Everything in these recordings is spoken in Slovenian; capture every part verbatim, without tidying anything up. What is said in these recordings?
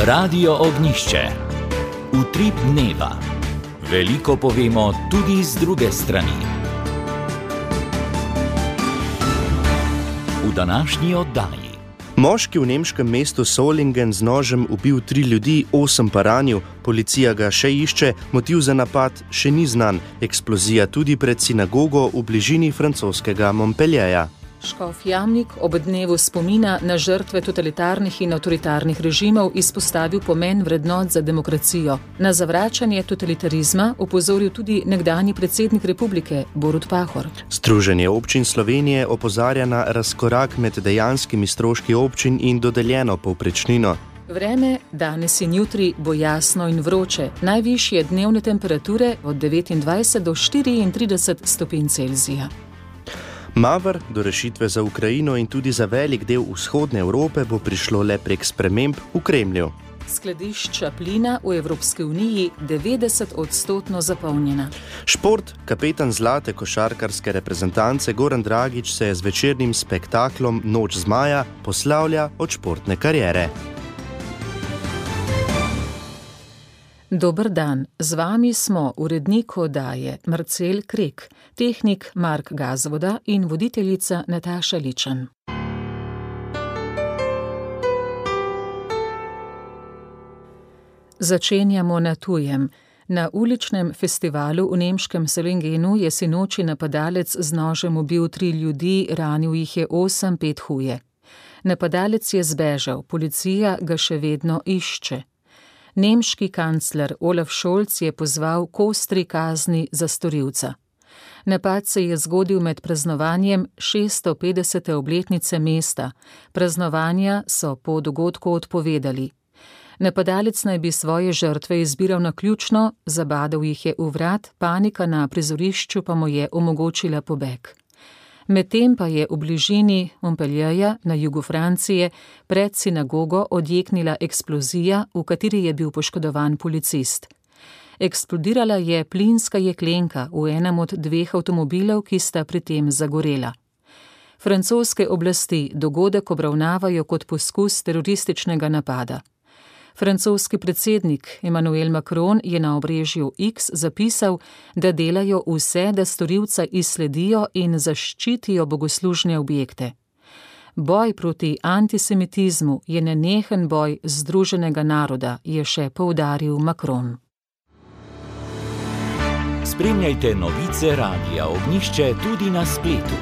Radio Ognišče. Utrip dneva. Veliko povemo tudi z druge strani. V današnji oddaji. Moški v nemškem mestu Solingen z nožem ubil tri ljudi, osem pa ranil. Policija ga še išče, motiv za napad še ni znan. Eksplozija tudi pred sinagogo v bližini francoskega Montpellierja. Škof Jamnik ob dnevu spomina na žrtve totalitarnih in avtoritarnih režimov izpostavil pomen vrednot za demokracijo. Na zavračanje totalitarizma opozoril tudi nekdanji predsednik republike Borut Pahor. Združenje občin Slovenije opozarja na razkorak med dejanskimi stroški občin in dodeljeno povprečnino. Vreme danes in jutri bo jasno in vroče. Najvišje dnevne temperature od devetindvajset do štiriintrideset stopinj Celzija. Mavr do rešitve za Ukrajino in tudi za velik del vzhodne Evrope bo prišlo le prek sprememb v Kremlju. Skladišča plina v Evropski uniji devetdeset odstotno zapolnjena. Šport, kapetan zlate košarkarske reprezentance Goran Dragić se je z večernim spektaklom Noč zmaja poslavlja od športne kariere. Dober dan, z vami smo urednik oddaje Marcel Krek, tehnik Mark Gazvoda in voditeljica Nataša Ličan. Začenjamo na tujem. Na uličnem festivalu v nemškem Solingenu je sinoči napadalec z nožem ubil tri ljudi, ranil jih je osem, pet huje. Napadalec je zbežal, policija ga še vedno išče. Nemški kancler Olaf Scholz je pozval k ostri kazni za storilca. Napad se je zgodil med praznovanjem šeststo petdesete obletnice mesta. Praznovanja so po dogodku odpovedali. Napadalec naj bi svoje žrtve izbiral naključno, zabadal jih je v vrat, panika na prizorišču pa mu je omogočila pobeg. Medtem pa je v bližini Montpellierja na jugu Francije pred sinagogo odjeknila eksplozija, v kateri je bil poškodovan policist. Eksplodirala je plinska jeklenka v enem od dveh avtomobilov, ki sta pri tem zagorela. Francoske oblasti dogodek obravnavajo kot poskus terorističnega napada. Francoski predsednik Emmanuel Macron je na obrežju X zapisal, da delajo vse, da storilca izsledijo in zaščitijo bogoslužne objekte. Boj proti antisemitizmu je nenehen boj združenega naroda, je še poudaril Macron. Spremljajte novice Radia Ognišče tudi na spletu.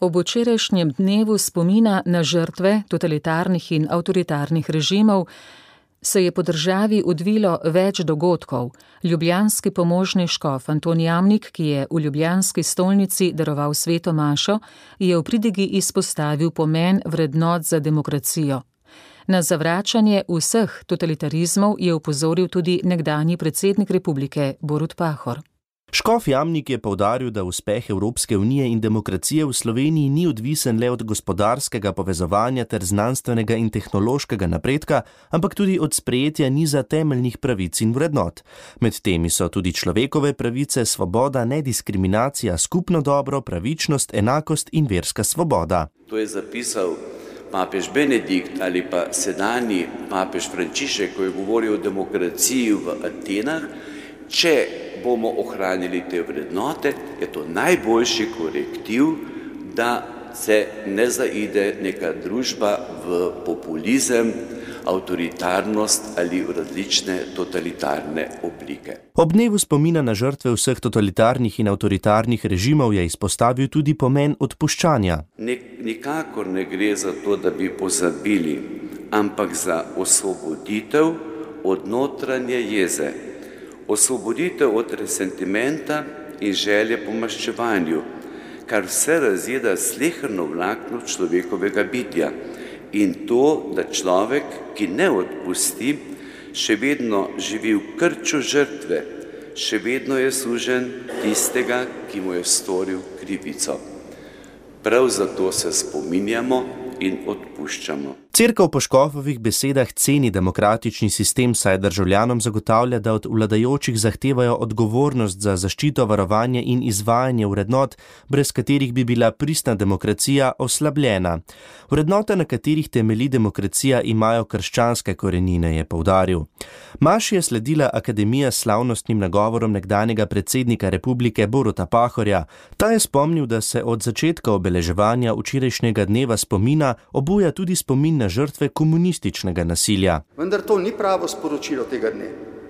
Ob včerajšnjem dnevu spomina na žrtve totalitarnih in avtoritarnih režimov se je po državi odvilo več dogodkov. Ljubljanski pomožni škof Anton Jamnik, ki je v ljubljanski stolnici daroval sveto mašo, je v pridigi izpostavil pomen vrednot za demokracijo. Na zavračanje vseh totalitarizmov je opozoril tudi nekdanji predsednik republike Borut Pahor. Škof Jamnik je poudaril, da uspeh Evropske unije in demokracije v Sloveniji ni odvisen le od gospodarskega povezovanja ter znanstvenega in tehnološkega napredka, ampak tudi od sprejetja niza temeljnih pravic in vrednot. Med temi so tudi človekove pravice, svoboda, nediskriminacija, skupno dobro, pravičnost, enakost in verska svoboda. To je zapisal papež Benedikt ali pa sedanji papež Frančišek, ko je govoril o demokraciji v Atenah. Če bomo ohranili te vrednote, je to najboljši korektiv, da se ne zaide neka družba v populizem, avtoritarnost ali v različne totalitarne oblike. Ob dnevu spomina na žrtve vseh totalitarnih in avtoritarnih režimov je izpostavil tudi pomen odpuščanja. Nik- nikakor ne gre za to, da bi pozabili, ampak za osvoboditev od notranje jeze. Osvoboditev od resentimenta in želje po maščevanju, kar vse razjeda sleherno vlakno človekovega bitja. In to, da človek, ki ne odpusti, še vedno živi v krču žrtve, še vedno je suženj tistega, ki mu je storil krivico. Prav zato se spominjamo in odpuščamo. Cerkev po Škofovih besedah ceni demokratični sistem, saj državljanom zagotavlja, da od vladajočih zahtevajo odgovornost za zaščito, varovanje in izvajanje vrednot, brez katerih bi bila pristna demokracija oslabljena. Vrednote, na katerih temelji demokracija, imajo krščanske korenine, je poudaril. Maši je sledila akademija s slavnostnim nagovorom nekdanjega predsednika republike Boruta Pahorja. Ta je spomnil, da se od začetka obeleževanja včerajšnjega dneva spomina obuja tudi spomin na žrtve komunističnega nasilja. Vendar to ni pravo sporočilo tega dne.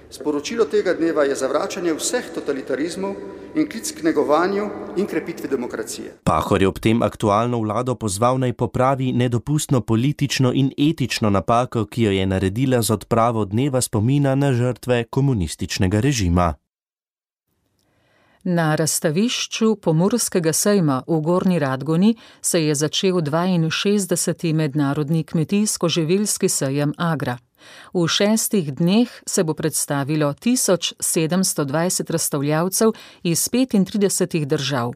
Sporočilo tega dneva je zavračanje vseh totalitarizmov in klic k negovanju in krepitvi demokracije. Pahor je ob tem aktualno vlado pozval naj popravi nedopustno politično in etično napako, ki jo je naredila z odpravo dneva spomina na žrtve komunističnega režima. Na razstavišču Pomurskega sejma v Gornji Radgoni se je začel dvainšestdeseti mednarodni kmetijsko-živilski sejem Agra. V šestih dneh se bo predstavilo tisoč sedemsto dvajset razstavljavcev iz petintridesetih držav.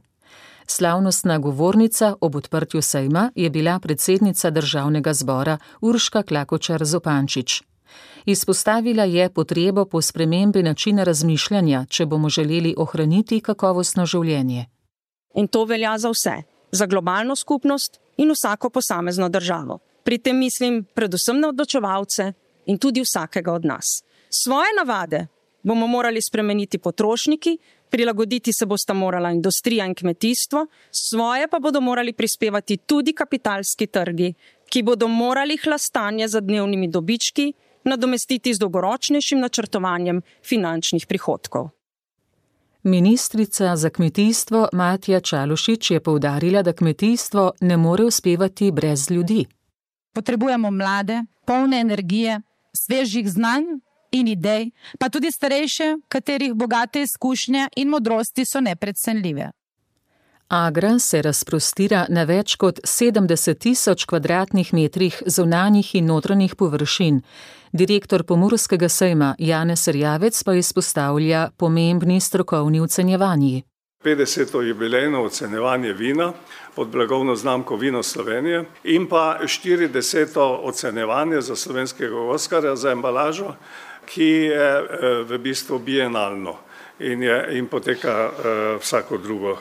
Slavnostna govornica ob odprtju sejma je bila predsednica Državnega zbora Urška Klakočar Zupančič. Izpostavila je potrebo po spremembi načina razmišljanja, če bomo želeli ohraniti kakovostno življenje. In to velja za vse, za globalno skupnost in vsako posamezno državo. Pri tem mislim predvsem na odločevalce in tudi vsakega od nas. Svoje navade bomo morali spremeniti potrošniki, prilagoditi se bosta morala industrija in kmetijstvo, svoje pa bodo morali prispevati tudi kapitalski trgi, ki bodo morali hlastanje za dnevnimi dobički nadomestiti z dolgoročnejšim načrtovanjem finančnih prihodkov. Ministrica za kmetijstvo Matja Čalušić je poudarila, da kmetijstvo ne more uspevati brez ljudi. Potrebujemo mlade, polne energije, svežih znanj in idej, pa tudi starejše, katerih bogate izkušnje in modrosti so neprecenljive. Agra se razprostira na več kot sedemdeset tisoč kvadratnih metrih zunanjih in notranjih površin. Direktor Pomurskega sejma Janez Erjavec pa izpostavlja pomembni strokovni ocenjevanji. petdeseto jubilejno ocenjevanje vina pod blagovno znamko Vino Slovenije in pa štirideseto ocenjevanje za slovenskega Oskarja za embalažo, ki je v bistvu bienalno in, je, in poteka uh, vsako drugo uh,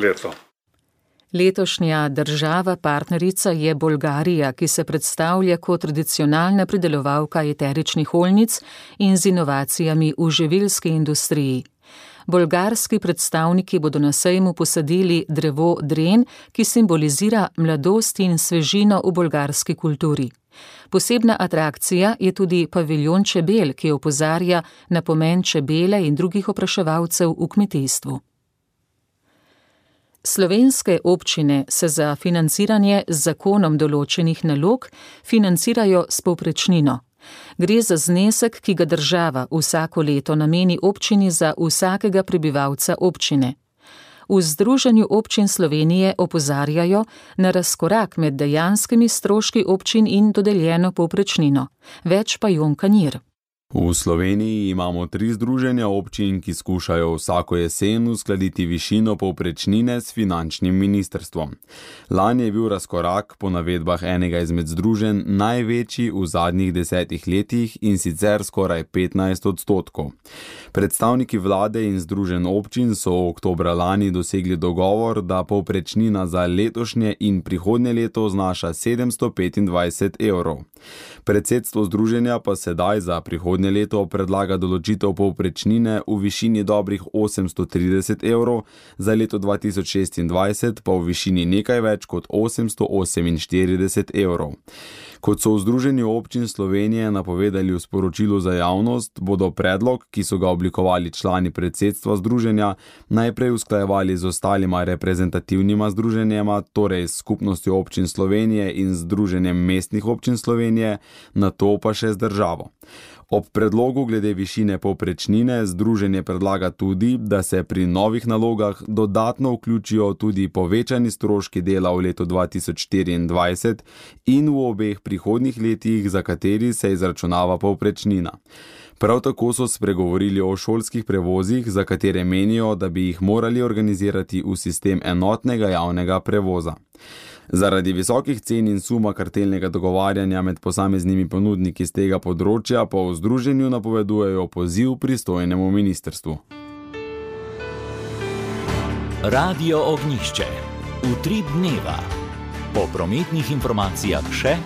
leto. Letošnja država partnerica je Bolgarija, ki se predstavlja kot tradicionalna pridelovalka eteričnih oljnic in z inovacijami v živilski industriji. Bolgarski predstavniki bodo na sejmu posadili drevo dren, ki simbolizira mladost in svežino v bolgarski kulturi. Posebna atrakcija je tudi paviljon čebel, ki opozarja na pomen čebele in drugih opraševalcev v kmetijstvu. Slovenske občine se za financiranje z zakonom določenih nalog financirajo s povprečnino. Gre za znesek, ki ga država vsako leto nameni občini za vsakega prebivalca občine. V Združenju občin Slovenije opozarjajo na razkorak med dejanskimi stroški občin in dodeljeno povprečnino. Več pa Jon Kanir. V Sloveniji imamo tri združenja občin, ki skušajo vsako jesen uskladiti višino povprečnine s finančnim ministrstvom. Lani je bil razkorak po navedbah enega izmed združenj največji v zadnjih desetih letih in sicer skoraj petnajst odstotkov. Predstavniki vlade in združenj občin so oktobra lani dosegli dogovor, da povprečnina za letošnje in prihodnje leto znaša sedemsto petindvajset evrov. Predsedstvo združenja pa sedaj za prihodnje leto predlaga določitev povprečnine v višini dobrih osemsto trideset evrov, za leto dva tisoč šestindvajset pa v višini nekaj več kot osemsto oseminštirideset evrov. Kot so v Združenju občin Slovenije napovedali v sporočilu za javnost, bodo predlog, ki so ga oblikovali člani predsedstva združenja, najprej usklajevali z ostalima reprezentativnima združenjema, torej s Skupnostjo občin Slovenije in Združenjem mestnih občin Slovenije, nato pa še z državo. Ob predlogu glede višine povprečnine združenje predlaga tudi, da se pri novih nalogah dodatno vključijo tudi povečani stroški dela v letu dva tisoč štiriindvajset in v obeh prihodnjih letih, za kateri se izračunava povprečnina. Prav tako so spregovorili o šolskih prevozih, za katere menijo, da bi jih morali organizirati v sistem enotnega javnega prevoza. Zaradi visokih cen in suma kartelnega dogovarjanja med posameznimi ponudniki z tega področja pa v združenju napovedujejo poziv pristojnemu ministrstvu. Radio Ognjišče. Utrip dneva. Po prometnih informacijah še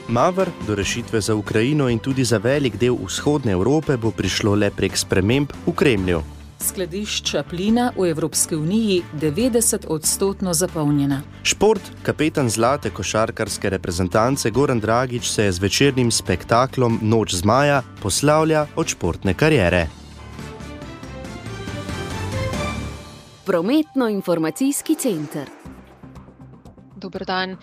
Mavr do rešitve za Ukrajino in tudi za velik del vzhodne Evrope bo prišlo le prek sprememb v Kremlju. Skladišča plina v Evropski uniji devetdeset odstotno zapolnjena. Šport, kapetan zlate košarkarske reprezentance Goran Dragić se z večernim spektaklom Noč zmaja poslavlja od športne kariere. Prometno-informacijski center. Dober dan.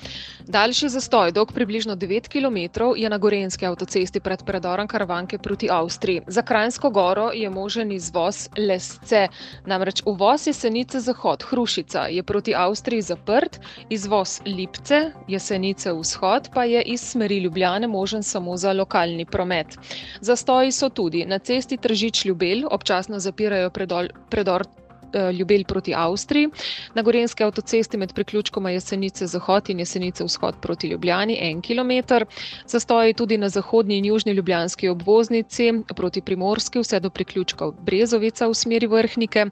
Daljši zastoj, dolg približno devet kilometrov, je na gorenjski avtocesti pred predorom Karavanke proti Avstriji. Za Kranjsko goro je možen izvoz Lesce. Namreč uvoz Jesenice zahod, Hrušica, je proti Avstriji zaprt, izvoz Lipce, Jesenice vzhod, pa je iz smeri Ljubljane možen samo za lokalni promet. Zastoji so tudi na cesti Tržič-Ljubelj, občasno zapirajo predol, predor Ljubelj proti Avstriji, na gorenjski avtocesti med priključkoma Jesenice zahod in Jesenice vzhod proti Ljubljani en kilometer, zastoji tudi na zahodni in južni ljubljanski obvoznici proti Primorski vse do priključkov Brezovica v smeri Vrhnike,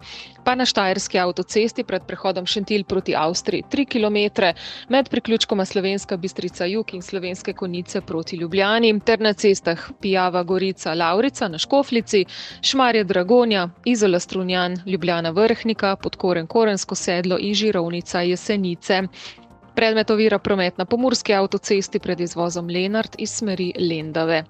pa na štajerski avtocesti pred prehodom Šentilj proti Avstriji tri kilometre, med priključkoma Slovenska Bistrica jug in Slovenske Konjice proti Ljubljani, ter na cestah Pijava, Gorica, Lavrica na Škoflici, Šmarje, Dragonja, Izola, Strunjan, Ljubljana, Vrhnika, Podkoren, Korensko sedlo in Žirovnica, Jesenice. Predmet ovira promet na pomurski avtocesti pred izvozom Lenart iz smeri Lendave.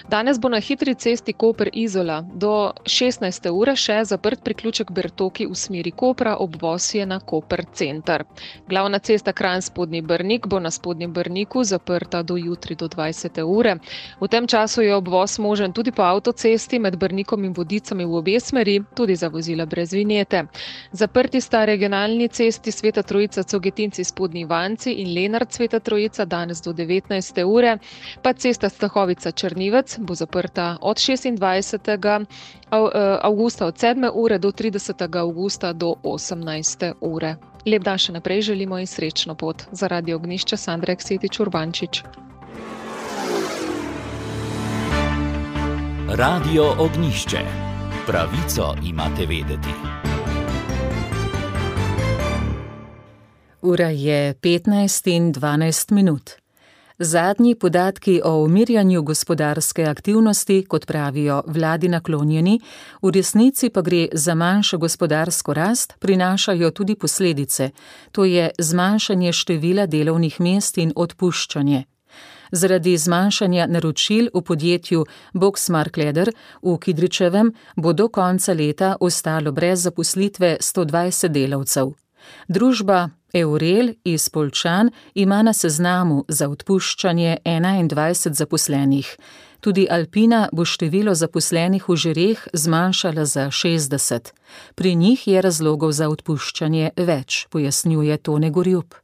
Danes bo na hitri cesti Koper-Izola do šestnajste ure še zaprt priključek Bertoki v smeri Kopra, obvoz je na Koper center. Glavna cesta Kranj-Spodnji Brnik bo na Spodnjem Brniku zaprta do jutri do dvajsete ure. V tem času je obvoz možen tudi po avtocesti med Brnikom in Vodicami v obe smeri, tudi za vozila brez vinjete. Zaprti sta regionalni cesti Sveta Trojica Cogetinci Spodnji Vanci in Lenart Sveta Trojica danes do devetnajste ure, pa cesta Stahovica Črnivec bo zaprta od šestindvajsetega avgusta od sedme ure do tridesetega avgusta do osemnajste ure. Lep dan še naprej želimo in srečno pot. Za Radio Ognjišče Sandra Eksetič Urbančič. Radio Ognjišče. Pravico imate vedeti. Ura je petnajst in dvanajst minut. Zadnji podatki o umirjanju gospodarske aktivnosti, kot pravijo vladi naklonjeni, v resnici pa gre za manjšo gospodarsko rast, prinašajo tudi posledice, to je zmanjšanje števila delovnih mest in odpuščanje. Zaradi zmanjšanja naročil v podjetju Boxmark Leder v Kidričevem bo do konca leta ostalo brez zaposlitve sto dvajset delavcev. Družba Eurel iz Poljčan ima na seznamu za odpuščanje enaindvajset zaposlenih. Tudi Alpina bo število zaposlenih v Žireh zmanjšala za šestdeset. Pri njih je razlogov za odpuščanje več, pojasnjuje Tone Gorjup.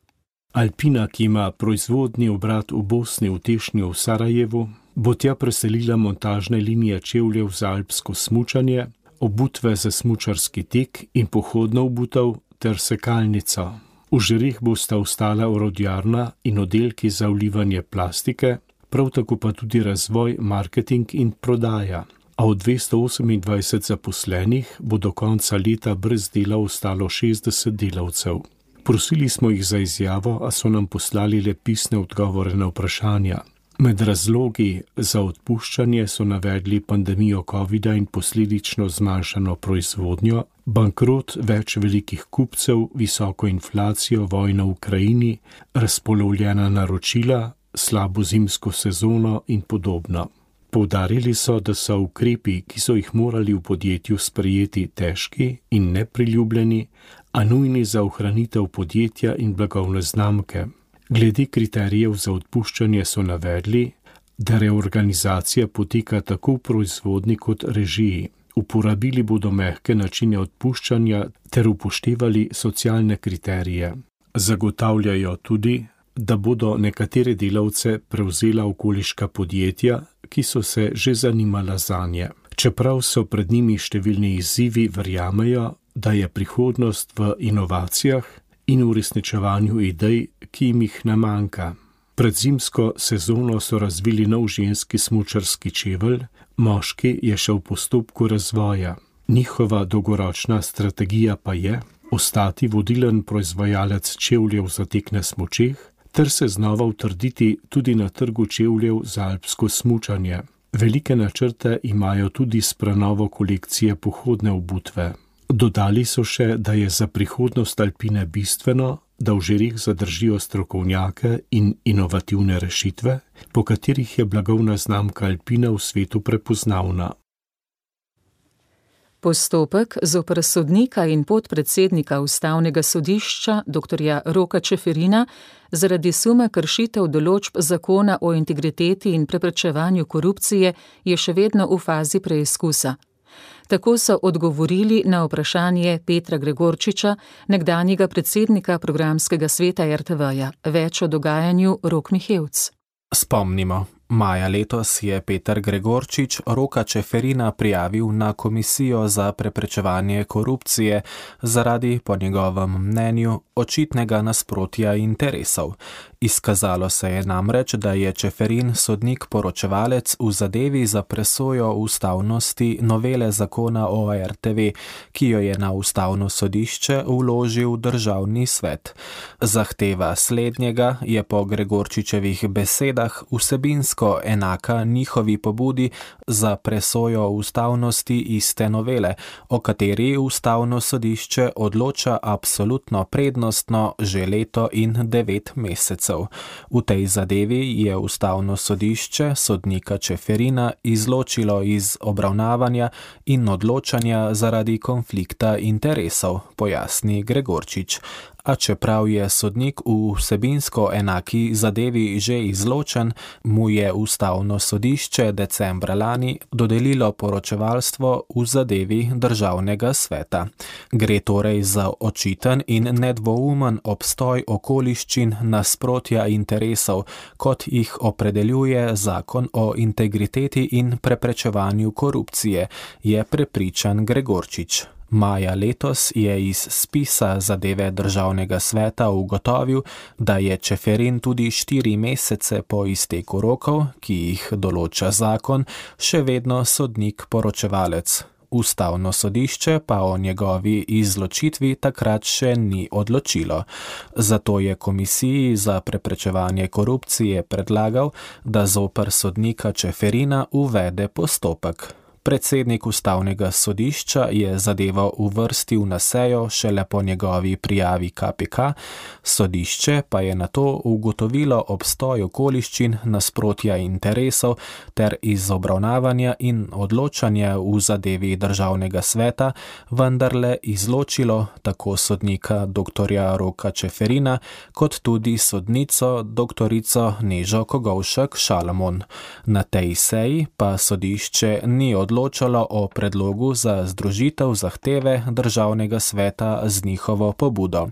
Alpina, ki ima proizvodni obrat v Bosni, v Tešnju, v Sarajevu, bo tja preselila montažne linije čevljev za alpsko smučanje, obutve za smučarski tek in pohodno obutev ter sekalnica. V Žireh bosta ostala orodjarna in oddelki za vlivanje plastike, prav tako pa tudi razvoj, marketing in prodaja. A od dvesto osemindvajset zaposlenih bo do konca leta brez dela ostalo šestdeset delavcev. Prosili smo jih za izjavo, a so nam poslali le pisne odgovore na vprašanja. Med razlogi za odpuščanje so navedli pandemijo covida in posledično zmanjšano proizvodnjo, bankrot več velikih kupcev, visoko inflacijo, vojno v Ukrajini, razpolovljena naročila, slabo zimsko sezono in podobno. Poudarili so, da so ukrepi, ki so jih morali v podjetju sprejeti, težki in nepriljubljeni, a nujni za ohranitev podjetja in blagovne znamke. Glede kriterijev za odpuščanje so navedli, da reorganizacija poteka tako v proizvodni kot režiji. Uporabili bodo mehke načine odpuščanja ter upoštevali socialne kriterije. Zagotavljajo tudi, da bodo nekatere delavce prevzela okoliška podjetja, ki so se že zanimala zanje. Čeprav so pred njimi številni izzivi, verjamejo, da je prihodnost v inovacijah in uresničevanju idej, ki jim jih ne manjka. Pred zimsko sezono so razvili nov ženski smučarski čevelj, moški je še v postopku razvoja. Njihova dolgoročna strategija pa je ostati vodilen proizvajalec čevljev za tek na smučeh ter se znova utrditi tudi na trgu čevljev za alpsko smučanje. Velike načrte imajo tudi s prenovo kolekcije pohodne obutve. Dodali so še, da je za prihodnost Alpine bistveno, da v žirih zadržijo strokovnjake in inovativne rešitve, po katerih je blagovna znamka Alpine v svetu prepoznavna. Postopek zoper sodnika in podpredsednika Ustavnega sodišča doktorja Roka Čeferina zaradi suma kršitev določb zakona o integriteti in preprečevanju korupcije je še vedno v fazi preizkusa. Tako so odgovorili na vprašanje Petra Gregorčiča, nekdanjega predsednika programskega sveta er te veja. Več o dogajanju Rok Mihevc. Spomnimo. Maja letos je Peter Gregorčič Roka Čeferina prijavil na Komisijo za preprečevanje korupcije zaradi, po njegovem mnenju, očitnega nasprotja interesov. Izkazalo se je namreč, da je Čeferin sodnik poročevalec v zadevi za presojo ustavnosti novele zakona o er te ve, ki jo je na Ustavno sodišče vložil Državni svet. Zahteva slednjega je po Gregorčičevih besedah vsebinsko enaka njihovi pobudi za presojo ustavnosti iste novele, o kateri Ustavno sodišče odloča absolutno prednostno že leto in devet mesecev. V tej zadevi je Ustavno sodišče sodnika Čeferina izločilo iz obravnavanja in odločanja zaradi konflikta interesov, pojasni Gregorčič. A čeprav je sodnik v vsebinsko enaki zadevi že izločen, mu je Ustavno sodišče decembra lani dodelilo poročevalstvo v zadevi Državnega sveta. Gre torej za očiten in nedvoumen obstoj okoliščin nasprotja interesov, kot jih opredeljuje zakon o integriteti in preprečevanju korupcije, je prepričan Gregorčič. Maja letos je iz spisa zadeve Državnega sveta ugotovil, da je Čeferin tudi štiri mesece po izteku rokov, ki jih določa zakon, še vedno sodnik poročevalec. Ustavno sodišče pa o njegovi izločitvi takrat še ni odločilo. Zato je Komisiji za preprečevanje korupcije predlagal, da zoper sodnika Čeferina uvede postopek. Predsednik Ustavnega sodišča je zadevo uvrstil na sejo šele po njegovi prijavi ka pe ka, sodišče pa je nato ugotovilo obstoj okoliščin nasprotja interesov ter iz obravnavanja in odločanja v zadevi Državnega sveta vendarle izločilo tako sodnika doktorja Roka Čeferina kot tudi sodnico doktorico Nežo Kogovšek Šalamon. Na tej seji pa sodišče ni odločilo odločalo o predlogu za združitev zahteve Državnega sveta z njihovo pobudo.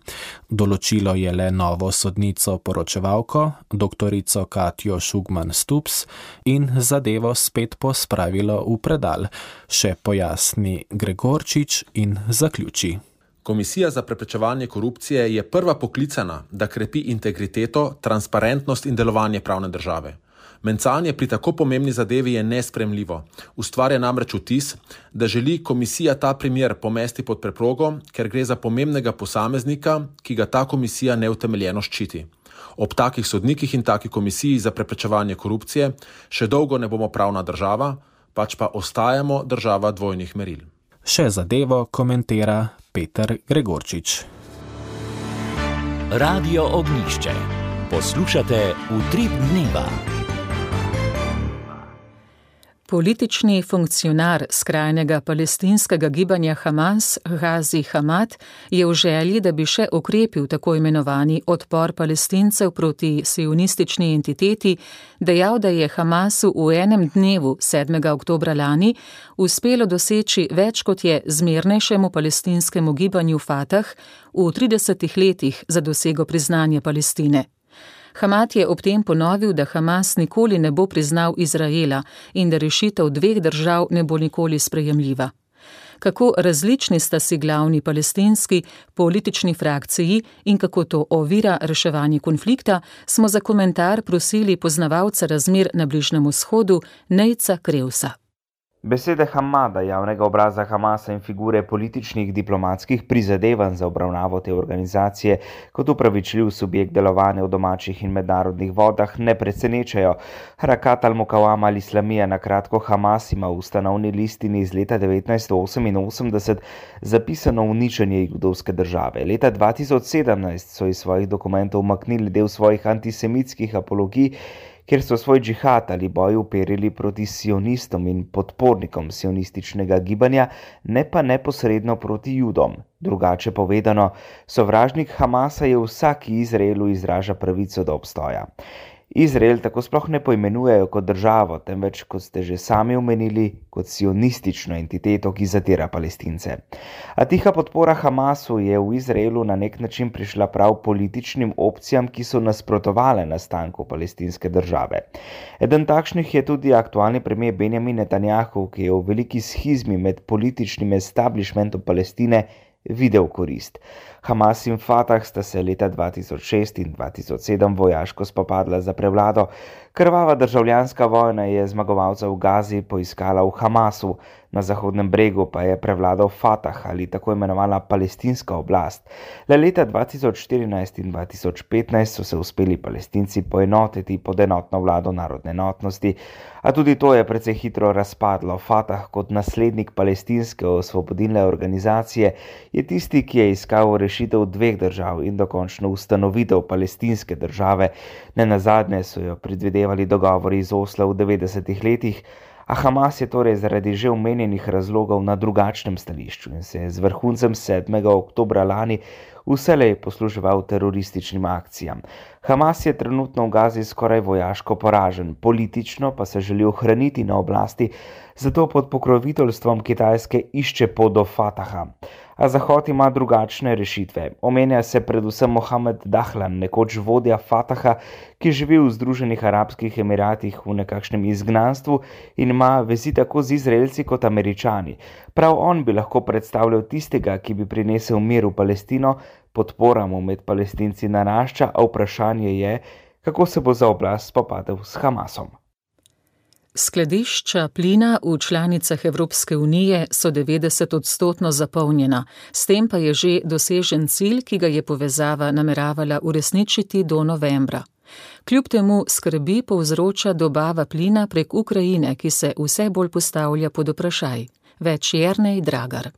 Določilo je le novo sodnico poročevalko, doktorico Katjo Šugman Stups, in zadevo spet pospravilo v predal, še pojasni Gregorčič in zaključi. Komisija za preprečevanje korupcije je prva poklicana, da krepi integriteto, transparentnost in delovanje pravne države. Mencanje pri tako pomembni zadevi je nespremljivo. Ustvarja namreč vtis, da želi komisija ta primer pomesti pod preprogo, ker gre za pomembnega posameznika, ki ga ta komisija neutemeljeno ščiti. Ob takih sodnikih in taki komisiji za preprečevanje korupcije še dolgo ne bomo pravna država, pač pa ostajamo država dvojnih meril. Še zadevo komentira Peter Gregorčič. Radio Ognjišče. Poslušate Utrip dneva. Politični funkcionar skrajnega palestinskega gibanja Hamas, Ghazi Hamad, je v želji, da bi še okrepil tako imenovani odpor Palestincev proti sionistični entiteti, dejal, da je Hamasu v enem dnevu, sedmega oktobra lani, uspelo doseči več, kot je zmernejšemu palestinskemu gibanju Fatah v tridesetih letih za dosego priznanja Palestine. Hamad je ob tem ponovil, da Hamas nikoli ne bo priznal Izraela in da rešitev dveh držav ne bo nikoli sprejemljiva. Kako različni sta si glavni palestinski politični frakciji in kako to ovira reševanje konflikta, smo za komentar prosili poznavalca razmer na Bližnjem vzhodu Nejca Krevsa. Besede Hamada, javnega obraza Hamasa in figure političnih diplomatskih prizadevanj za obravnavo te organizacije kot upravičljiv subjekt delovanja v domačih in mednarodnih vodah ne presenečajo. Harakat al-Mukawama al-Islamija, na kratko Hamas, ima v ustanovni listini iz leta devetnajststo oseminosemdeset zapisano uničenje judovske države. Leta dva tisoč sedemnajst so iz svojih dokumentov umaknili del svojih antisemitskih apologij, kjer so svoj džihad ali boj uperili proti sionistom in podpornikom sionističnega gibanja, ne pa neposredno proti judom. Drugače povedano, sovražnik Hamasa je vsak, ki Izraelu izraža pravico do obstoja. Izrael tako sploh ne poimenujejo kot državo, temveč, kot ste že sami omenili, kot sionistično entiteto, ki zatira Palestince. A tiha podpora Hamasu je v Izraelu na nek način prišla prav političnim opcijam, ki so nasprotovale nastanku palestinske države. Eden takšnih je tudi aktualni premier Benjamin Netanjahu, ki je v veliki schizmi med političnim establishmentom Palestine videl korist. Hamas in Fatah sta se leta dva tisoč šest in dva tisoč sedem vojaško spopadla za prevlado. Krvava državljanska vojna je zmagovalca v Gazi poiskala v Hamasu, na Zahodnem bregu pa je prevladal Fatah ali tako imenovana palestinska oblast. Le leta dva tisoč štirinajst in dva tisoč petnajst so se uspeli Palestinci poenotiti pod enotno vlado narodne enotnosti, a tudi to je precej hitro razpadlo. Fatah kot naslednik palestinske osvobodilne organizacije je tisti, ki je iskal rešitev dveh držav in dokončno ustanovitev palestinske države. Nenazadnje so jo predvidevali dogovori iz Osla v devetdesetih letih, a Hamas je torej zaradi že omenjenih razlogov na drugačnem stališču in se je z vrhuncem sedmega oktobra lani vselej posluževal terorističnim akcijam. Hamas je trenutno v Gazi skoraj vojaško poražen, politično pa se želi ohraniti na oblasti, zato pod pokroviteljstvom Kitajske išče pot do Fataha. A Zahod ima drugačne rešitve. Omenja se predvsem Mohamed Dahlan, nekoč vodja Fataha, ki živi v Združenih arabskih emiratih v nekakšnem izgnanstvu in ima vezi tako z Izraelci kot Američani. Prav on bi lahko predstavljal tistega, ki bi prinesel mir v Palestino, podpora mu med Palestinci narašča, a vprašanje je, kako se bo za oblast spopadel s Hamasom. Skladišča plina v članicah Evropske unije so devetdeset odstotno zapolnjena, s tem pa je že dosežen cilj, ki ga je povezava nameravala uresničiti do novembra. Kljub temu skrbi povzroča dobava plina prek Ukrajine, ki se vse bolj postavlja pod vprašaj. Več Jernej Dragar.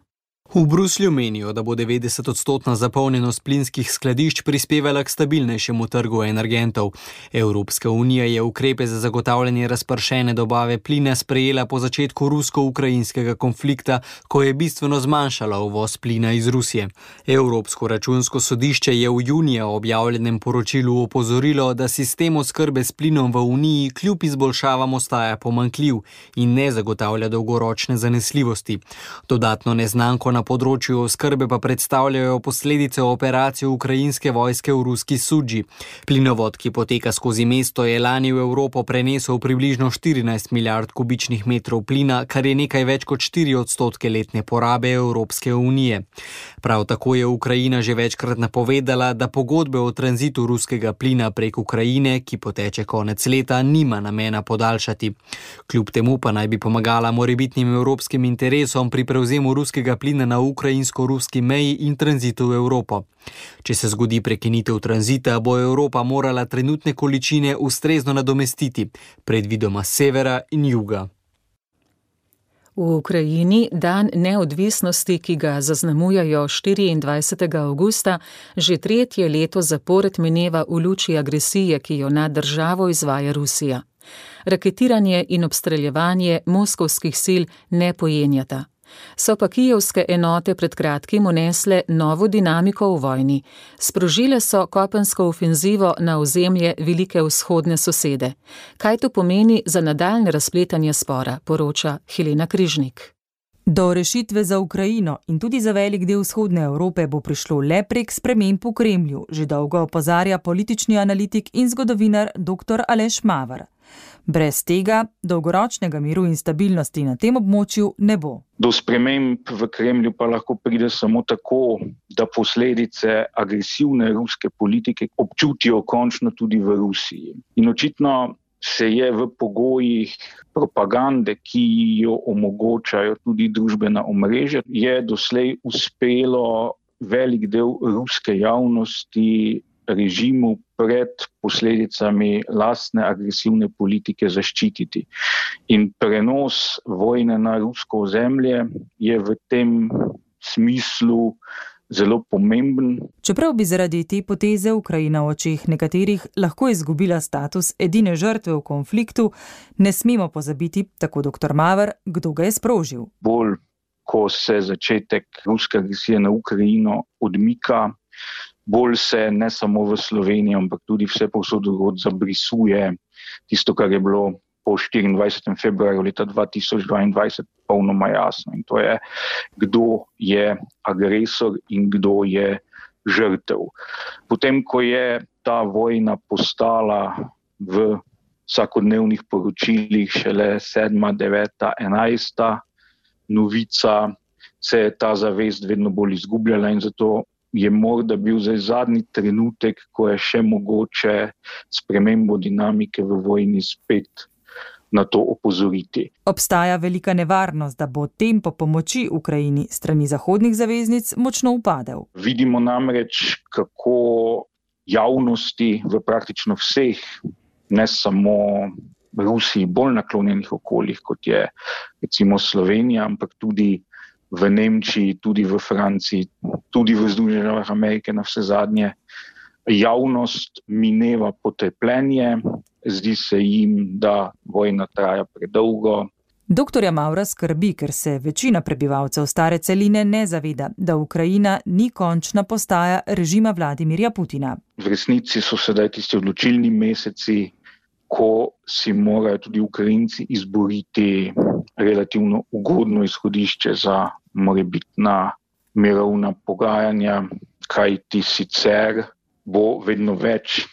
V Bruslju menijo, da bo devetdeset odstotna zapolnjenost plinskih skladišč prispevala k stabilnejšemu trgu energentov. Evropska unija je ukrepe za zagotavljanje razpršene dobave plina sprejela po začetku rusko-ukrajinskega konflikta, ko je bistveno zmanjšala uvoz plina iz Rusije. Evropsko računsko sodišče je v junija objavljenem poročilu opozorilo, da sistem oskrbe s plinom v uniji kljub izboljšavam ostaja pomanjkljiv in ne zagotavlja dolgoročne zanesljivosti. Dodatno neznanko na področju oskrbe pa predstavljajo posledice operacije ukrajinske vojske v ruski Sudži. Plinovod, ki poteka skozi mesto, je lani v Evropo prenesel približno štirinajst milijard kubičnih metrov plina, kar je nekaj več kot štiri odstotke letne porabe Evropske unije. Prav tako je Ukrajina že večkrat napovedala, da pogodbe o tranzitu ruskega plina prek Ukrajine, ki poteče konec leta, nima namena podaljšati. Kljub temu pa naj bi pomagala morebitnim evropskim interesom pri prevzemu ruskega plina na ukrajinsko-ruski meji in tranzitu v Evropo. Če se zgodi prekinitev tranzita, bo Evropa morala trenutne količine ustrezno nadomestiti, predvidoma s severa in juga. V Ukrajini dan neodvisnosti, ki ga zaznamujajo štiriindvajsetega avgusta, že tretje leto zapored mineva v luči agresije, ki jo nad državo izvaja Rusija. Raketiranje in obstreljevanje moskovskih sil ne pojenjata. So pa kijevske enote pred kratkim unesle novo dinamiko v vojni. Sprožile so kopensko ofenzivo na ozemlje velike vzhodne sosede. Kaj to pomeni za nadaljne razpletanje spora, poroča Helena Križnik. Do rešitve za Ukrajino in tudi za velik del vzhodne Evrope bo prišlo le prek sprememb v Kremlju, že dolgo opozarja politični analitik in zgodovinar dr. Aleš Maver. Brez tega dolgoročnega miru in stabilnosti na tem območju ne bo. Do sprememb v Kremlju pa lahko pride samo tako, da posledice agresivne ruske politike občutijo končno tudi v Rusiji. In očitno se je v pogojih propagande, ki jo omogočajo tudi družbena omrežja, je doslej uspelo velik del ruske javnosti režimu pred posledicami lastne agresivne politike zaščititi. In prenos vojne na rusko ozemlje je v tem smislu zelo pomemben. Čeprav bi zaradi te poteze Ukrajina v očeh nekaterih lahko izgubila status edine žrtve v konfliktu, ne smemo pozabiti, tako dr. Maver, kdo ga je sprožil. Bolj, ko se začetek ruske agresije na Ukrajino odmika, bolj se ne samo v Sloveniji, ampak tudi vse povsod drugod zabrisuje tisto, kar je bilo po štiriindvajsetega februarja leta dva tisoč dvaindvajset polnoma jasno. In to je, kdo je agresor in kdo je žrtev. Potem, ko je ta vojna postala v vsakodnevnih poročilih šele sedma, deveta, enajsta novica, se je ta zavest vedno bolj izgubljala in zato je morda bil zdaj zadnji trenutek, ko je še mogoče spremembo dinamike v vojni spet na to opozoriti. Obstaja velika nevarnost, da bo tempo pomoči Ukrajini strani zahodnih zaveznic močno upadel. Vidimo namreč, kako javnosti v praktično vseh, ne samo Rusiji, bolj naklonjenih okoljih, kot je recimo Slovenija, ampak tudi v Nemčiji, tudi v Franciji, tudi v Združenih državah Amerike na vse zadnje, javnost mineva potrpljenje, zdi se jim, da vojna traja predolgo. Doktorja Mavra skrbi, ker se večina prebivalcev stare celine ne zaveda, da Ukrajina ni končna postaja režima Vladimirja Putina. V resnici so sedaj tisti odločilni meseci, ko si morajo tudi Ukrajinci izboriti relativno ugodno izhodišče za morebitna mirovna pogajanja, kajti sicer bo vedno več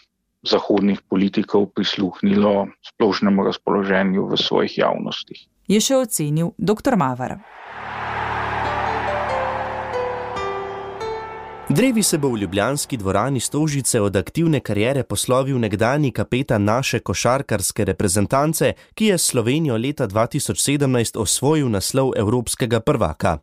zahodnih politikov prisluhnilo splošnemu razpoloženju v svojih javnostih. Je še ocenil dr. Maver. Drevi se bo v ljubljanski dvorani Stožice od aktivne kariere poslovil nekdanji kapetan naše košarkarske reprezentance, ki je s Slovenijo leta dva tisoč sedemnajst osvojil naslov evropskega prvaka.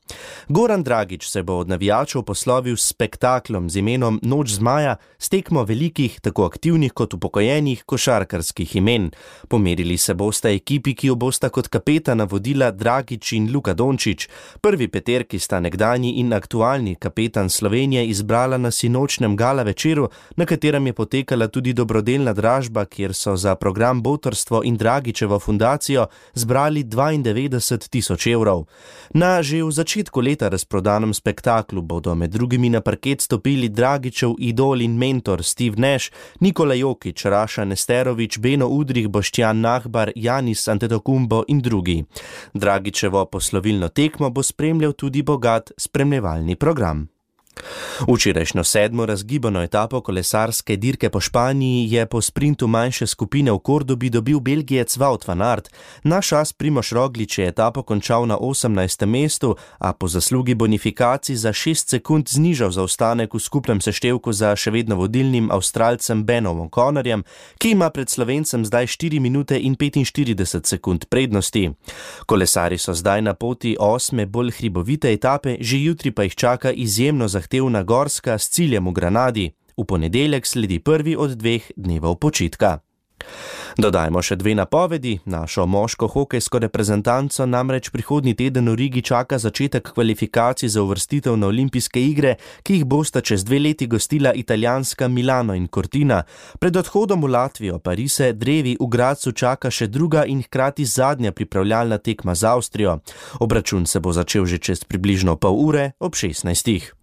Goran Dragič se bo od navijačev poslovil s spektaklom z imenom Noč zmaja, s tekmo velikih, tako aktivnih kot upokojenih košarkarskih imen. Pomerili se bosta ekipi, ki jo bosta kot kapetana vodila Dragič in Luka Dončić. Prvi peterki sta nekdanji in aktualni kapetan Slovenije izbrala na sinočnem gala večeru, na katerem je potekala tudi dobrodelna dražba, kjer so za program Botrstvo in Dragičevo fundacijo zbrali dvaindevetdeset tisoč evrov. Na že v začetku leta razprodanem spektaklu bodo med drugimi na parket stopili Dragičev idol in mentor Steve Nash, Nikola Jokić, Raša Nesterović, Beno Udrih, Boštjan Nahbar, Janis Antetokounmpo in drugi. Dragičevo poslovilno tekmo bo spremljal tudi bogat spremljevalni program. Včerajšnjo sedmo razgibano etapo kolesarske dirke po Španiji je po sprintu manjše skupine v Kordobi dobil Belgijec Wout van Aert. Naš as Primož Roglič je etapo končal na osemnajstem mestu, a po zaslugi bonifikacij za šest sekund znižal zaostanek v skupnem seštevku za še vedno vodilnim Avstralcem Benom O'Connorjem, ki ima pred Slovencem zdaj štiri minute in petinštirideset sekund prednosti. Kolesari so zdaj na poti osme bolj hribovite etape, že jutri pa jih čaka izjemno zahtevna gorska s ciljem v Granadi. V ponedeljek sledi prvi od dveh dnevov počitka. Dodajmo še dve napovedi. Našo moško hokejsko reprezentanco namreč prihodnji teden v Rigi čaka začetek kvalifikacij za uvrstitev na olimpijske igre, ki jih bosta čez dve leti gostila italijanska Milano in Cortina. Pred odhodom v Latvijo pa rise drevi v Gradcu čaka še druga in hkrati zadnja pripravljalna tekma z Avstrijo. Obračun se bo začel že čez približno pol ure ob šestnajstih.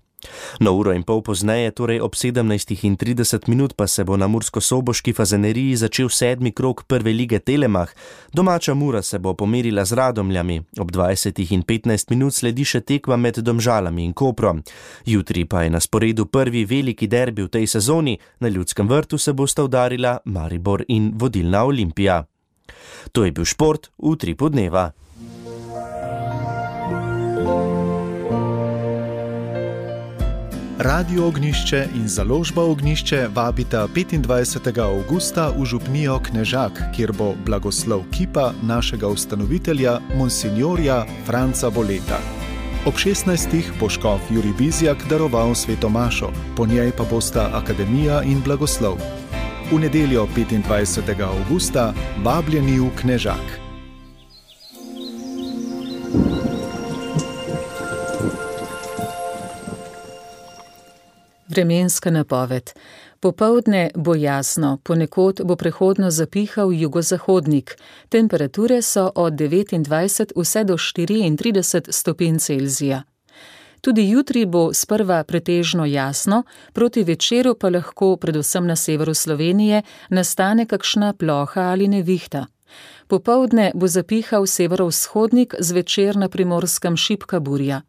No uro in pol pozneje, torej ob sedemnajstih in trideset minut, pa se bo na mursko-soboški Fazaneriji začel sedmi krog prve lige Telemach. Domača Mura se bo pomerila z Radomljami. Ob dvajsetih in petnajst minut sledi še tekma med Domžalami in Koprom. Jutri pa je na sporedu prvi veliki derbi v tej sezoni. Na Ljudskem vrtu se bosta udarila Maribor in vodilna Olimpija. To je bil šport v Utripu dneva. Radio Ognjišče in založba Ognjišče vabita petindvajsetega avgusta v župnijo Knežak, kjer bo blagoslov kipa našega ustanovitelja, monsinjorja Franca Voleta. Ob šestnajstih bo škof Jurij Bizjak daroval sveto mašo, po njej pa bosta akademija in blagoslov. V nedeljo petindvajsetega avgusta vabljeni v Knežak. Vremenska napoved. Popoldne bo jasno, ponekod bo prehodno zapihal jugozahodnik. Temperature so od devetindvajset vse do štiriintrideset stopinj Celzija. Tudi jutri bo sprva pretežno jasno, proti večeru pa lahko, predvsem na severu Slovenije, nastane kakšna ploha ali nevihta. Popoldne bo zapihal severovzhodnik, zvečer na Primorskem šibka burja.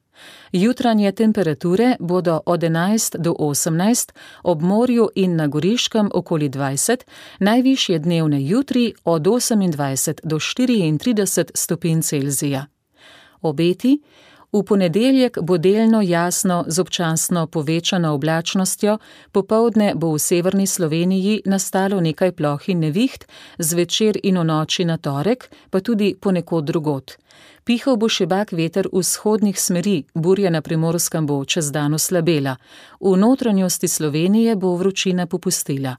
Jutranje temperature bodo od enajst do osemnajst, ob morju in na Goriškem okoli dvajset, najvišje dnevne jutri od osemindvajset do štiriintrideset stopinj Celzija. Obeti. V ponedeljek bo delno jasno z občasno povečano oblačnostjo, popoldne bo v severni Sloveniji nastalo nekaj ploh in neviht, zvečer in v noči na torek, pa tudi ponekod drugod. Pihal bo šibak veter vzhodnih smeri, burja na Primorskem bo čez dan oslabela. V notranjosti Slovenije bo vročina popustila.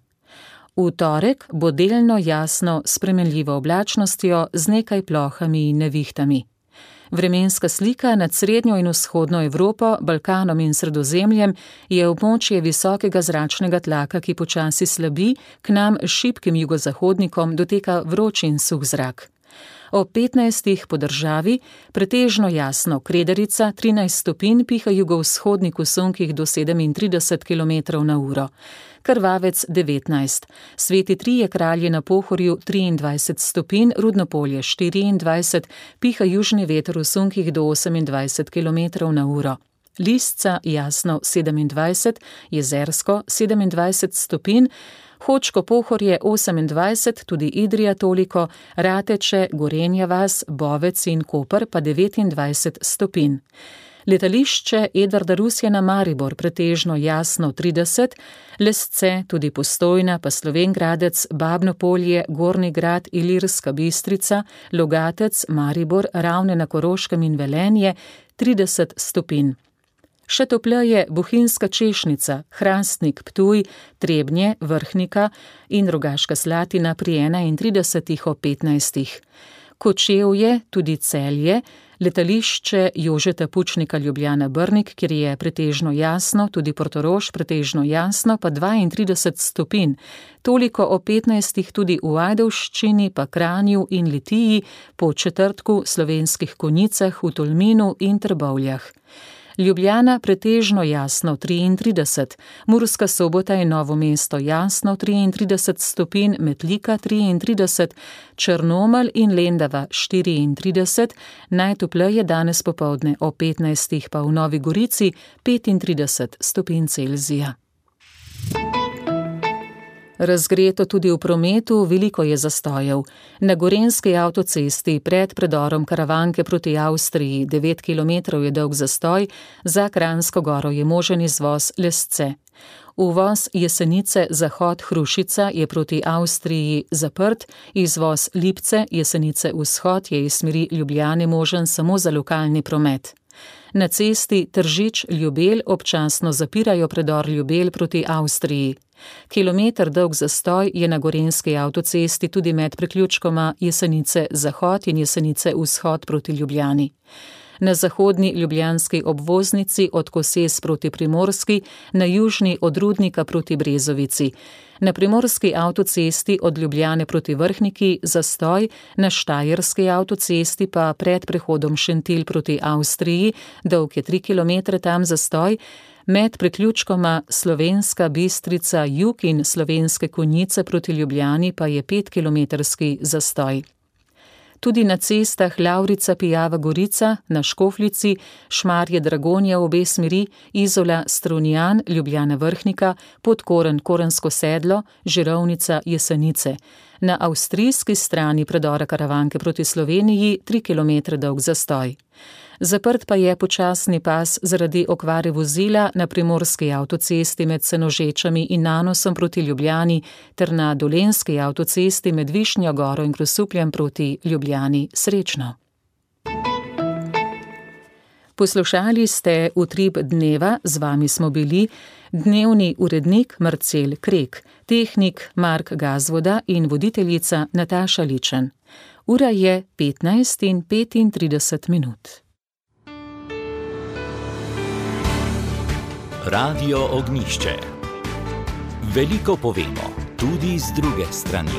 V torek bo delno jasno s spremenljivo oblačnostjo z nekaj plohami in nevihtami. Vremenska slika nad srednjo in vzhodno Evropo, Balkanom in Sredozemljem je območje visokega zračnega tlaka, ki počasi slabi, k nam s šibkim jugozahodnikom doteka vroč in suh zrak. Ob petnajstih po državi pretežno jasno, Kredarica trinajst stopinj, piha jugovzhodnik v sunkih do sedemintrideset kilometrov na uro. Krvavec devetnajst, Sveti Trije kralji na Pohorju triindvajset stopinj, Rudnopolje štiriindvajset, piha južni veter v sunkih do osemindvajset kilometrov na uro. Lisca jasno sedemindvajset, Jezersko sedemindvajset stopinj, Hočko Pohorje osemindvajset, tudi Idrija toliko, Rateče, Gorenja vas, Bovec in Koper pa devetindvajset stopinj. Letališče Edvarda Rusjana Maribor pretežno jasno trideset, Lesce, tudi Postojna, pa Slovenj Gradec, Babno Polje, Gornji Grad, Ilirska Bistrica, Logatec, Maribor, Ravne na Koroškem in Velenje trideset stopinj. Še topleje Bohinjska Češnica, Hrastnik, Ptuj, Trebnje, Vrhnika in Rogaška Slatina pri enaintridesetih ob petnajstih. Kočevje, tudi Celje, letališče Jožeta Pučnika Ljubljana Brnik, kjer je pretežno jasno, tudi Portorož pretežno jasno, pa dvaintrideset stopinj. Toliko o petnajstih tudi v Ajdovščini, pa Kranju in Litiji, po četrtku Slovenskih Konjicah, v Tolminu in Trbovljah. Ljubljana pretežno jasno triintrideset, Murska Sobota in Novo mesto jasno triintrideset stopinj, Metlika triintrideset, Črnomelj in Lendava štiriintrideset, najtopleje danes popoldne o petnajstih pa v Novi Gorici petintrideset stopinj Celzija. Razgreto tudi v prometu, veliko je zastojev. Na Gorenjski avtocesti pred predorom Karavanke proti Avstriji devet kilometrov je dolg zastoj, za Kranjsko goro je možen izvoz Lesce. Uvoz Jesenice zahod Hrušica je proti Avstriji zaprt, izvoz Lipce Jesenice vzhod je iz smeri Ljubljane možen samo za lokalni promet. Na cesti Tržič-Ljubelj občasno zapirajo predor Ljubelj proti Avstriji. Kilometer dolg zastoj je na Gorenjski avtocesti tudi med priključkoma Jesenice zahod in Jesenice vzhod proti Ljubljani. Na zahodni ljubljanski obvoznici od Koses proti Primorski, na južni od Rudnika proti Brezovici. Na primorski avtocesti od Ljubljane proti Vrhniki zastoj, na štajerski avtocesti pa pred prehodom Šentilj proti Avstriji, dolg je tri kilometre tam zastoj, Med priključkoma Slovenska Bistrica jug in Slovenske Konjice proti Ljubljani pa je petkilometrski zastoj. Tudi na cestah Lavrica Pijava Gorica, na Škofljici, Šmarje Dragonja v obe smeri, Izola Strunjan, Ljubljana Vrhnika, Podkoren Korensko sedlo, Žirovnica Jesenice. Na avstrijski strani predora Karavanke proti Sloveniji tri kilometre dolg zastoj. Zaprt pa je počasni pas zaradi okvare vozila na primorski avtocesti med Senožečami in Nanosom proti Ljubljani ter na dolenski avtocesti med Višnjo Goro in Grosupljem proti Ljubljani. Srečno! Poslušali ste Utrip dneva, z vami smo bili dnevni urednik Marcel Krek, tehnik Mark Gazvoda in voditeljica Nataša Ličen. Ura je petnajst in petintrideset minut. Radio Ognjišče. Veliko povemo, tudi z druge strani.